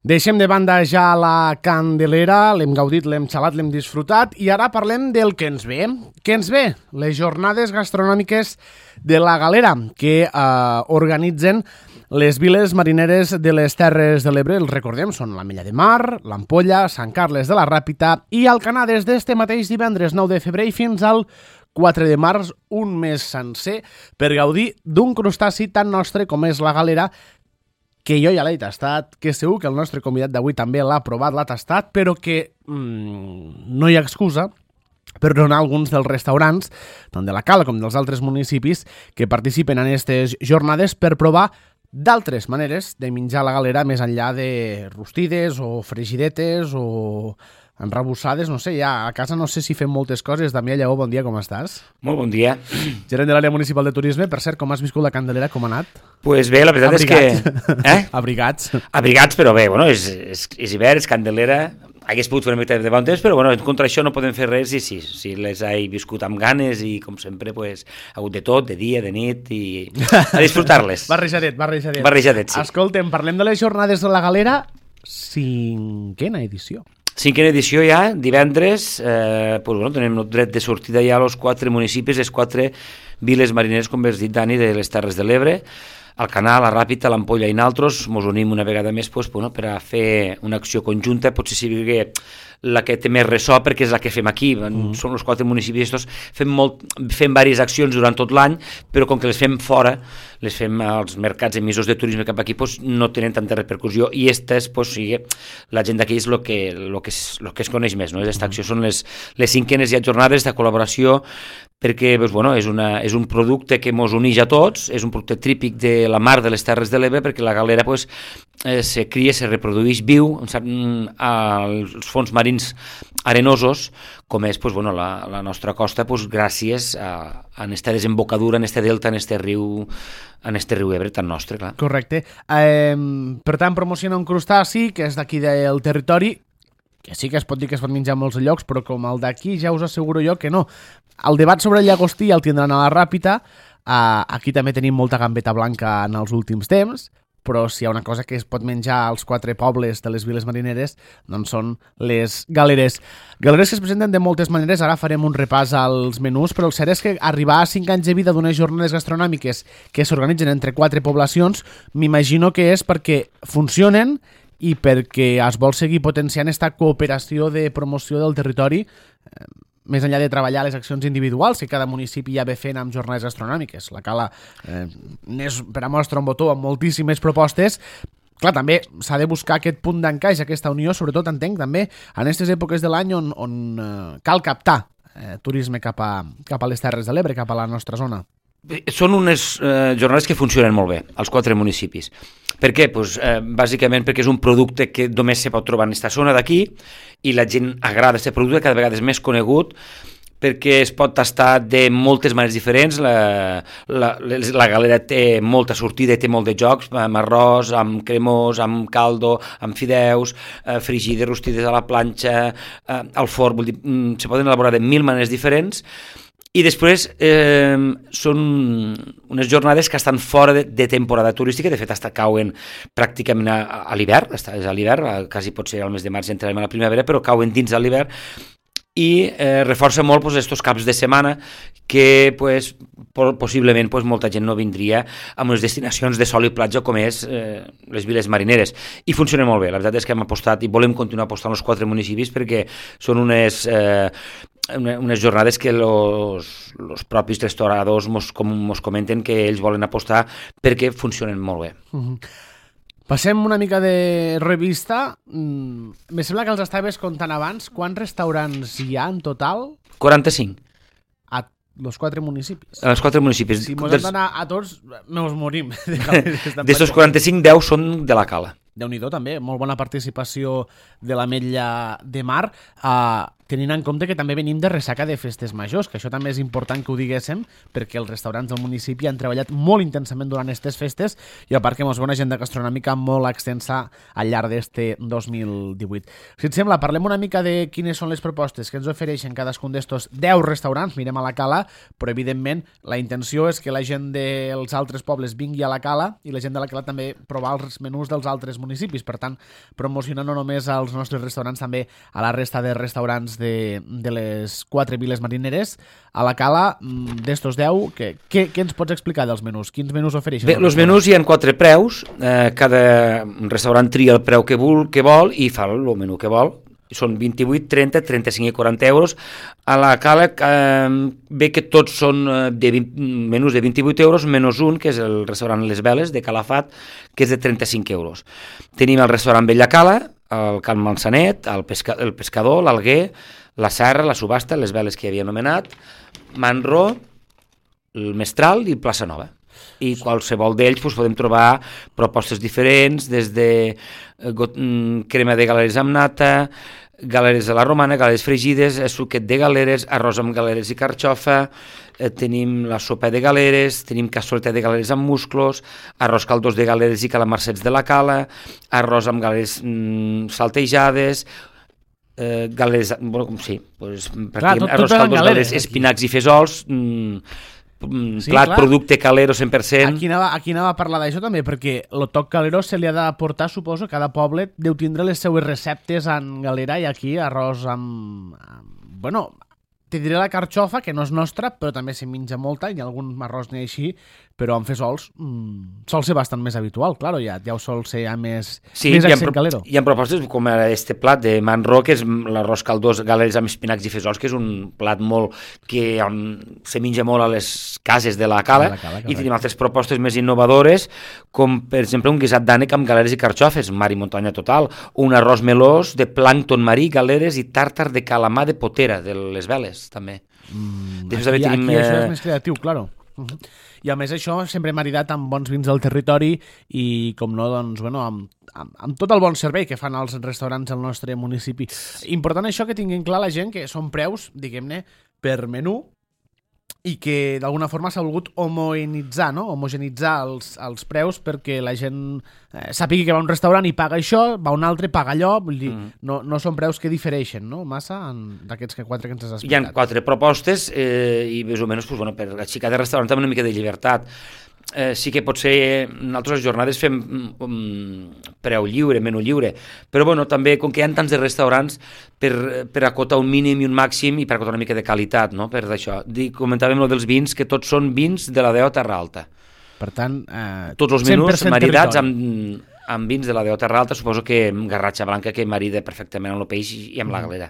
Deixem de banda ja la Candelera, l'hem gaudit, l'hem xalat, l'hem disfrutat i ara parlem del que ens ve. Què ens ve? Les jornades gastronòmiques de la Galera que organitzen les viles marineres de les Terres de l'Ebre. Els recordem, són l'Ametlla de Mar, l'Ampolla, Sant Carles de la Ràpita i Alcanar des d'este mateix divendres 9 de febrer fins al 4 de març, un mes sencer, per gaudir d'un crustaci tan nostre com és la Galera, que jo ja l'he tastat, que segur que el nostre convidat d'avui també l'ha provat, l'ha tastat, però que no hi ha excusa per donar alguns dels restaurants, tant de la Cala com dels altres municipis, que participen en aquestes jornades per provar d'altres maneres de menjar la Galera més enllà de rostides o fregidetes o enrabussades, no sé, ja a casa no sé si fem moltes coses. Damià Lleó, bon dia, com estàs? Molt bon dia. Gerent de l'àrea municipal de turisme, per cert, com has viscut la Candelera, com ha anat? Pues bé, la veritat és que... Abrigats. Abrigats, però bé, bueno, és hivern, és Candelera, hagués pogut fer una mica de bon temps, però bueno, contra això no podem fer res i sí, les he viscut amb ganes i com sempre pues, ha hagut de tot, de dia, de nit i a disfrutar-les. Barrejadet. Barrejadet, sí. Escolta'm, parlem de les jornades de la Galera, 5ª edició. 5ª edició ja, divendres, pues, bueno, tenim el dret de sortida ja als 4 municipis, les 4 viles marineres, com has dit, Dani, de les Terres de l'Ebre, Alcanar, la Ràpita, l'Ampolla i naltros. Mos unim una vegada més pues, bueno, per a fer una acció conjunta, potser sigui la que té més ressò perquè és la que fem aquí, són els 4 municipis, fem diverses accions durant tot l'any, però com que les fem fora, les fem als mercats emissors de turisme cap aquí, pues, no tenen tanta repercussió i aquestes, pues, sí, la gent d'aquí és el que es coneix més, no? Aquesta acció són les 5enes ja jornades de col·laboració perquè pues, bueno, és un producte que ens uneix a tots, és un producte típic de la mar de les Terres de l'Ebre perquè la Galera pues, se cria, se reprodueix viu als fons marins arenosos, com és pues, bueno, la nostra costa, pues, gràcies a aquesta desembocadura, en este delta, en este riu Ebre tan nostre, clar. Correcte. Per tant, promociona un crustaci que és d'aquí del territori, que sí que es pot dir que es pot menjar a molts llocs, però com el d'aquí ja us asseguro jo que no. El debat sobre el llagostí el tindran a la Ràpita. Aquí també tenim molta gambeta blanca en els últims temps, però si hi ha una cosa que es pot menjar als 4 pobles de les viles marineres, doncs són les galeres. Galeres que es presenten de moltes maneres, ara farem un repàs als menús, però el cert és que arribar a 5 anys de vida d'unes jornades gastronòmiques que s'organitzen entre 4 poblacions, m'imagino que és perquè funcionen i perquè es vol seguir potenciant aquesta cooperació de promoció del territori, més enllà de treballar les accions individuals que cada municipi ja ve fent amb jornades gastronòmiques. La Cala n'és per a mostra un botó amb moltíssimes propostes. Clar, també s'ha de buscar aquest punt d'encaix, aquesta unió, sobretot entenc també en aquestes èpoques de l'any on cal captar turisme cap a les Terres de l'Ebre, cap a la nostra zona. Són unes jornades que funcionen molt bé als 4 municipis. Per què? Pues, bàsicament perquè és un producte que només se pot trobar en aquesta zona d'aquí i la gent agrada aquest producte, cada vegada és més conegut perquè es pot tastar de moltes maneres diferents. La Galera té molta sortida i té molt de jocs, amb arròs, amb cremós, amb caldo, amb fideus, frigides, rostides a la planxa, al forn, vull dir, se poden elaborar de 1000 maneres diferents. I després són unes jornades que estan fora de temporada turística, de fet cauen pràcticament a l'hivern, és a l'hivern, quasi pot ser al mes de març entrarem a la primavera, però cauen dins de l'hivern i reforça molt aquests caps de setmana que pues, possiblement pues, molta gent no vindria a unes destinacions de sol i platja com és les viles marineres. I funciona molt bé, la veritat és que hem apostat i volem continuar apostant als 4 municipis perquè són unes jornades que els propis restauradors mos comenten que ells volen apostar perquè funcionen molt bé. Passem una mica de revista. Me sembla que els estaves contant abans. Quants restaurants hi ha en total? 45. A los 4 municipis. A els 4 municipis. Si mos hem d'anar a tots, nos morim. D'estos 45, 10 són de la Cala. Déu-n'hi-do, també. Molt bona participació de l'Ametlla de Mar. tenint en compte que també venim de ressaca de festes majors, que això també és important que ho diguéssim, perquè els restaurants del municipi han treballat molt intensament durant aquestes festes i a part que mos ve una agenda gastronòmica molt extensa al llarg d'este 2018. Si et sembla, parlem una mica de quines són les propostes que ens ofereixen cadascun d'estos 10 restaurants, mirem a la Cala, però evidentment la intenció és que la gent dels altres pobles vingui a la Cala i la gent de la Cala també provar els menús dels altres municipis, per tant, promocionar no només als nostres restaurants, també a la resta de restaurants de les 4 viles marineres. A la Cala, d'estos 10, què ens pots explicar dels menús? Quins menús ofereixen? Bé, els menús hi ha 4 preus, cada restaurant tria el preu que vol i fa el menú que vol. Són 28, 30, 35 i 40 euros. A la Cala ve que tots són menús de 28 euros, menys un, que és el restaurant Les Veles, de Calafat, que és de 35 euros. Tenim el restaurant Bella Cala, el Can Mansanet, el Pescador, l'Alguer, la Serra, la Subhasta, Les Veles que havia anomenat, Manró, el Mestral i Plaça Nova. I qualsevol d'ells podem trobar propostes diferents, des de crema de galeres amb nata, galeres a la romana, galeres fregides, suquet de galeres, arròs amb galeres i carxofa, tenim la sopa de galeres, tenim cassoleta de galeres amb musclos, arròs caldós de galeres i calamarsets de la Cala, arròs amb galeres saltejades, galeres, sí, arròs caldós, galeres, espinacs i fesols, plat, producte calero 100%. Aquí anava a parlar d'això també, perquè el toc calero se li ha d'aportar, suposo, cada poble deu tindre les seues receptes en galera i aquí arròs amb bueno, te diré la carxofa, que no és nostra, però també se menja molta, i algun arròs n'hi ha així, però amb fesols sol ser bastant més habitual, claro, ja ho sol ser més accent calero. Hi ha propostes com este plat de Manró, que és l'arròs caldós, galeres amb espinacs i fesols, que és un plat molt que se menja molt a les cases de la Cala, i tenim altres propostes més innovadores, com per exemple un guisat d'ànec amb galeres i carxofes, mar i muntanya total, un arròs melós de plàncton marí, galeres i tàrtar de calamar de potera, de Les Veles, també. Aquí això és més creatiu, claro. I a més això sempre maridat amb bons vins del territori i com no, doncs, bueno, amb tot el bon servei que fan els restaurants al nostre municipi. Important això que tinguin clar la gent que són preus, diguem-ne, per menú i que d'alguna forma s'ha volgut homogeneïtzar, no? Homogeneïtzar els preus perquè la gent sàpiga que va a un restaurant i paga això, va a un altre, paga allò, vull dir, no són preus que difereixen, no? Massa d'aquests 4 que ens has explicat. Hi ha 4 propostes i més o menys per aixecar de restaurant amb una mica de llibertat. Sí que potser nosaltres les jornades fem preu lliure, menú lliure, però bueno, també com que hi ha tants de restaurants per acotar un mínim i un màxim i per acotar una mica de qualitat, no? Per això. Comentàvem dels vins, que tots són vins de la DO Terra Alta. Per tant, tots els menús maridats amb vins de la DO Terra Alta, suposo que garratxa blanca que marida perfectament amb el peix i amb la galera.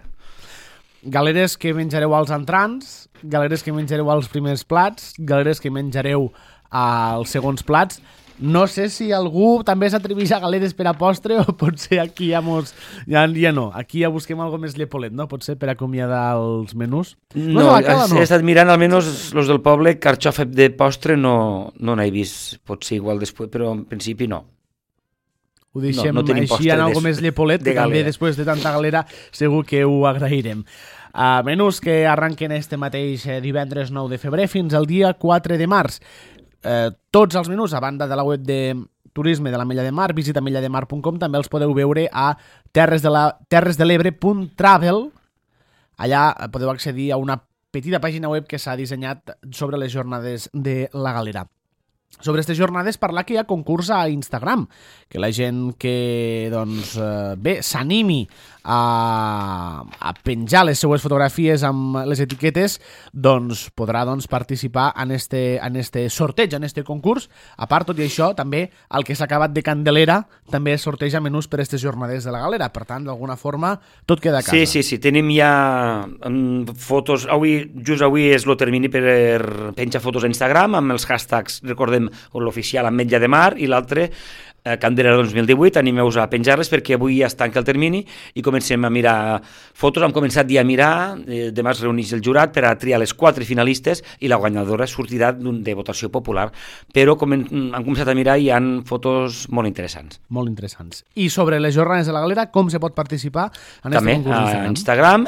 Galeres que menjareu als entrants, galeres que menjareu als primers plats, galeres que menjareu als segons plats. No sé si algú també s'atreveix a galeres per a postre o potser aquí ja no. Aquí ja busquem algo més llepolet, no? Potser per acomiadar els menús. No, he estat mirant, almenys els del poble, carxofa de postre no n'he vist. Potser igual després, però en principi no. Ho deixem així en algo més llepolet, que també després de tanta galera segur que ho agrairem. Menús que arranquen este mateix divendres 9 de febrer fins al dia 4 de març. Tots els menús, a banda de la web de turisme de l'Ametlla de Mar, visita ametllademar.com, també els podeu veure a terresdelebre.travel. Allà podeu accedir a una petita pàgina web que s'ha dissenyat sobre les jornades de la galera. Sobre aquestes jornades parlar que hi ha concurs a Instagram, que la gent que s'animi a penjar les seues fotografies amb les etiquetes podrà participar en este sorteig, en este concurs. A part, tot i això, també el que s'ha acabat de Candelera també sorteja menús per aquestes jornades de la galera. Per tant, d'alguna forma, tot queda a casa. Sí, tenim ja fotos. Just avui és el termini per penjar fotos a Instagram amb els hashtags, recordem, l'oficial Ametlla de Mar i l'altre Candela 2018, animeu-vos a penjar-les perquè avui ja es tanca el termini i comencem a mirar fotos. Hem començat ja a mirar, demà es reuneix el jurat per a triar les 4 finalistes i la guanyadora sortirà de votació popular, però hem començat a mirar i hi ha fotos molt interessants. Molt interessants. I sobre les jornades de la Galera, com se pot participar en també aquest concurs a Instagram,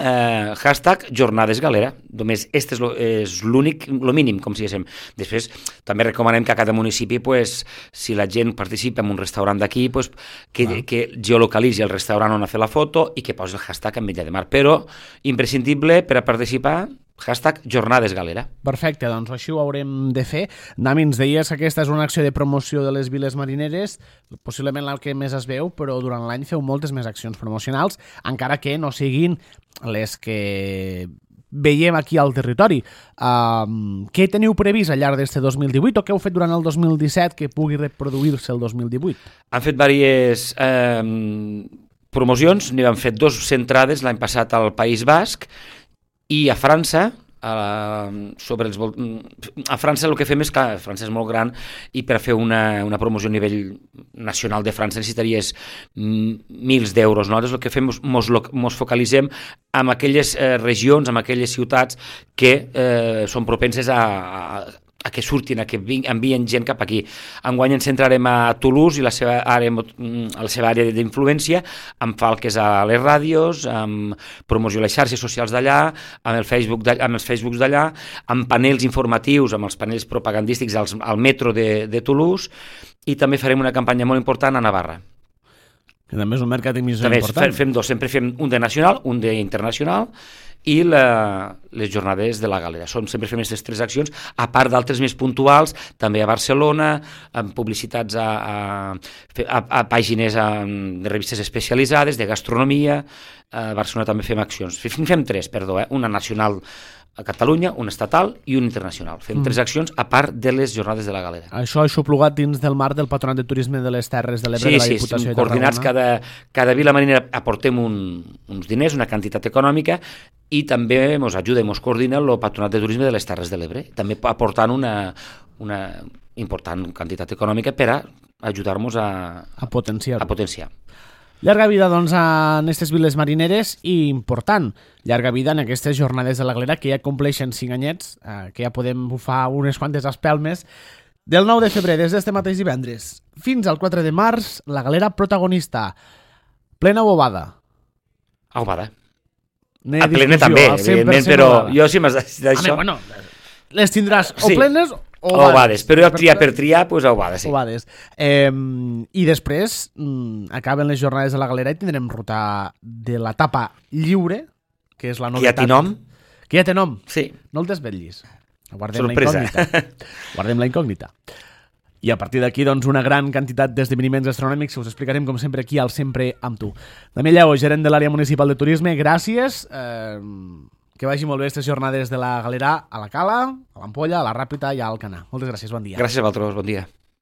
hashtag Jornades Galera. Només este és l'únic, el mínim, com si diguéssim. Després també recomanem que a cada municipi, pues, si la gent participa en un restaurant d'aquí, pues, que geolocalitzi el restaurant on ha fet la foto i que posi el hashtag Ametlla de Mar. Però imprescindible per a participar, hashtag Jornades Galera. Perfecte, doncs així ho haurem de fer. Dami, ens deies que aquesta és una acció de promoció de les viles marineres, possiblement la que més es veu, però durant l'any feu moltes més accions promocionals, encara que no siguin les que veiem aquí al territori. Què teniu previst al llarg d'este 2018 o què heu fet durant el 2017 que pugui reproduir-se el 2018? Han fet diverses promocions, n'hi han fet 2 centrades l'any passat al País Basc i a França. A França el que fem és que França és molt gran i per fer una promoció a nivell nacional de França necessitaries mils d'euros. Nosaltres el que fem mos focalitzem en aquelles regions, en aquelles ciutats que són propenses a que surtin, a que envien gent cap aquí. Enguany ens centrarem a Toulouse i la seva àrea d'influència, amb falques a les ràdios, amb promoció a les xarxes socials d'allà, amb els Facebooks d'allà, amb panels informatius, amb els panels propagandístics al metro de Toulouse, i també farem una campanya molt important a Navarra. Que també és un mercat important. Fem 2, sempre fem un de nacional, un d'internacional, i les jornades de la Galera. Sempre fem aquestes 3 accions, a part d'altres més puntuals, també a Barcelona, amb publicitats a pàgines de revistes especialitzades, de gastronomia. A Barcelona també fem accions. Fem 3, perdó, una nacional a Catalunya, una estatal i una internacional. Fem 3 accions a part de les jornades de la Galera. Això és xuplugat dins del marc del Patronat de Turisme de les Terres de l'Ebre de la Diputació de Tarragona. Sí, coordinats, cada vila marinera aportem uns diners, una quantitat econòmica, i també ens ajuda i ens coordina el Patronat de Turisme de les Terres de l'Ebre, també aportant una important quantitat econòmica per a ajudar-nos a potenciar. Llarga vida, doncs, en aquestes viles marineres i important, llarga vida en aquestes jornades de la Galera que ja compleixen 5 anyets, que ja podem bufar unes quantes espelmes. Del 9 de febrer, des d'este mateix divendres, fins al 4 de març, la Galera protagonista. Plena o ovada? Ovada. A plena també, evidentment, però jo si m'has dit això... Bueno, les tindràs o plenes o ovades, però jo per triar, doncs ovades, sí. Ovades. I després acaben les jornades de la Galera i tindrem ruta de l'etapa lliure, que és la novetat. Que ja té nom? Que ja té nom? Sí. No el desvetllis. Sorpresa. Guardem la incògnita. I a partir d'aquí, doncs, una gran quantitat d'esdeveniments gastronòmics que us explicarem, com sempre, aquí al Sempre amb tu. Damià Lleó, gerent de l'àrea municipal de turisme, gràcies. Que vagi molt bé aquestes jornades de la Galera a la Cala, a l'Ampolla, a la Ràpita i a Alcanar. Moltes gràcies, bon dia. Gràcies a vosaltres, bon dia.